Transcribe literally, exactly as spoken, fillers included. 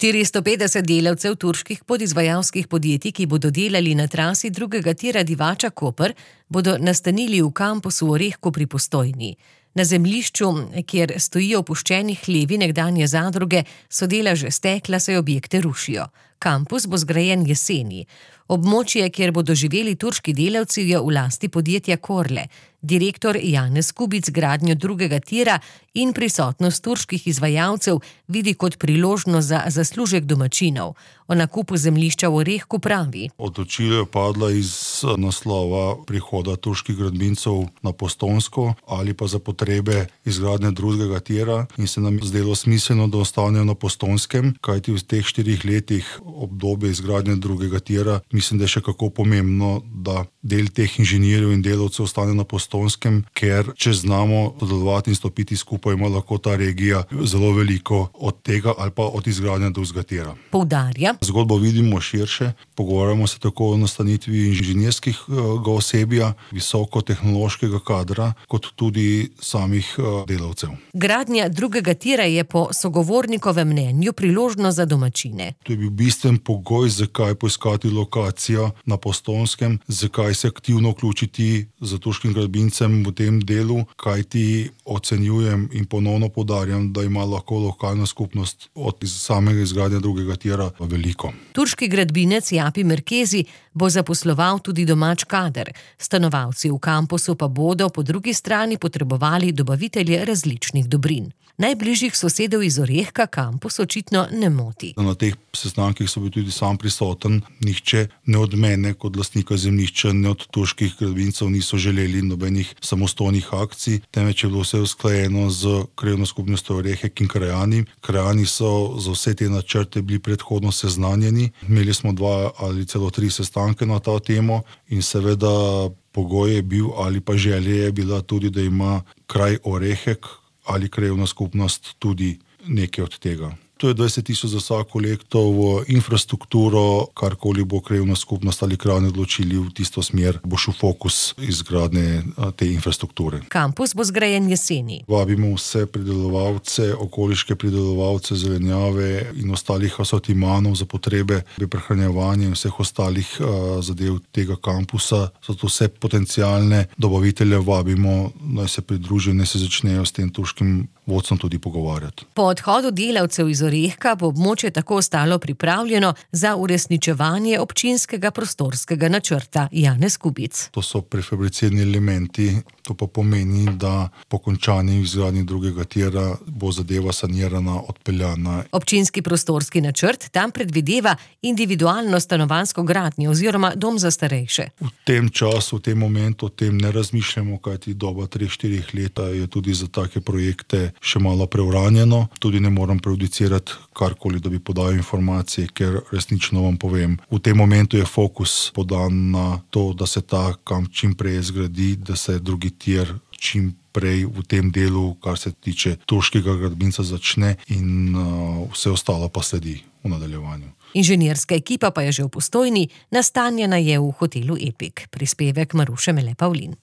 štiristo petdeset delavcev turških podizvajalskih podjetij, ki bodo delali na trasi drugega tira Divača-Koper, bodo nastanili v kampusu v Orehku pri Postojni. Na zemljišču, kjer stojijo opuščeni hlevi nekdanje zadruge, so dela že stekla, saj objekte rušijo. Kampus bo zgrajen jeseni. Območje, kjer bodo živeli turški delavci, je v lasti podjetja Korle. Direktor Janez Kubic gradnjo drugega tira in prisotnost turških izvajalcev vidi kot priložnost za zaslužek domačinov. O nakupu zemljišča v Orehku pravi: Odločitev je padla iz naslova prihoda turških gradbincev na Postojnsko ali pa za potrebe izgradnje drugega tira in se nam zdelo smiselno, da ostanejo na Postojnskem, kajti v teh štirih letih obdobje izgradnje drugega tira mislim, da je še kako pomembno, da del teh inženirjev in delavcev ostane na Postojnskem, ker če znamo sodelovati in stopiti skupaj, ima lahko ta regija zelo veliko od tega ali pa od izgradnje drugega tira. Poudarja: Zgodbo vidimo širše, pogovarjamo se tako o nastanitvi inženirskega osebja, visokotehnološkega kadra, kot tudi samih delavcev. Gradnja drugega tira je po sogovornikovem mnenju priložnost za domačine. To je bil bistven pogoj, zakaj poiskati lokacijo na Postojnskem, zakaj se aktivno vključiti z turškim gradbincem v tem delu, kajti ocenjujem in ponovno poudarjam, da ima lahko lokalna skupnost od samega izgradnja drugega tira veliko. Turški gradbinec Japi Merkezi bo zaposloval tudi domač kader. Stanovalci v kampusu pa bodo po drugi strani potrebovali dobavitelje različnih dobrin. Najbližjih sosedov iz Orehka kampus očitno ne moti. Na teh sestankih so bil tudi sam prisoten. Nihče ne od mene kot lastnika zemljišča, ne od turških gradbincev niso želeli nobenih samostojnih akcij, temveč je bilo vse usklajeno z krajevno skupnostjo Orehek in krajani. Krajani so za vse te načrte bili predhodno seznanjeni. Imeli smo dva ali celo tri sestanke na ta temo in seveda pogoj je bil ali pa želja je bila tudi, da ima kraj Orehek ali krajevna skupnost tudi nekaj od tega. To je dvajset tisoč za vsako leto v infrastrukturo, karkoli bo krajevna skupnost ali krajani odločili v tisto smer, bo šel fokus izgradnje te infrastrukture. Kampus bo zgrajen jeseni. Vabimo vse pridelovalce, okoliške pridelovalce zelenjave in ostalih asortimanov za potrebe prehranjevanja in vseh ostalih uh, zadev tega kampusa. Zato vse potencialne dobavitelje vabimo, naj se pridružijo, naj se začnejo s tem turškim vodstvom tudi pogovarjati. Po odhodu delavcev iz Orehka bo območje tako ostalo pripravljeno za uresničevanje občinskega prostorskega načrta. Janez Kubic: To so prefabricirani elementi, to pa pomeni, da po končani izgradnji drugega tira bo zadeva sanirana, odpeljana. Občinski prostorski načrt tam predvideva individualno stanovanjsko gradnjo oziroma dom za starejše. V tem času, v tem momentu o tem ne razmišljamo, kajti doba treh, štirih let je tudi za take projekte še malo preuranjeno. Tudi ne moram prejudicirati karkoli, da bi podal informacije, ker resnično vam povem, v tem momentu je fokus podan na to, da se ta kamp čim prej zgradi, da se drugi tir čim prej v tem delu, kar se tiče turškega gradbinca, začne in uh, vse ostalo pa sledi v nadaljevanju. Inženirska ekipa pa je že v Postojni, nastanjena je v hotelu Epik. Prispevek Maruše Mele Pavlin.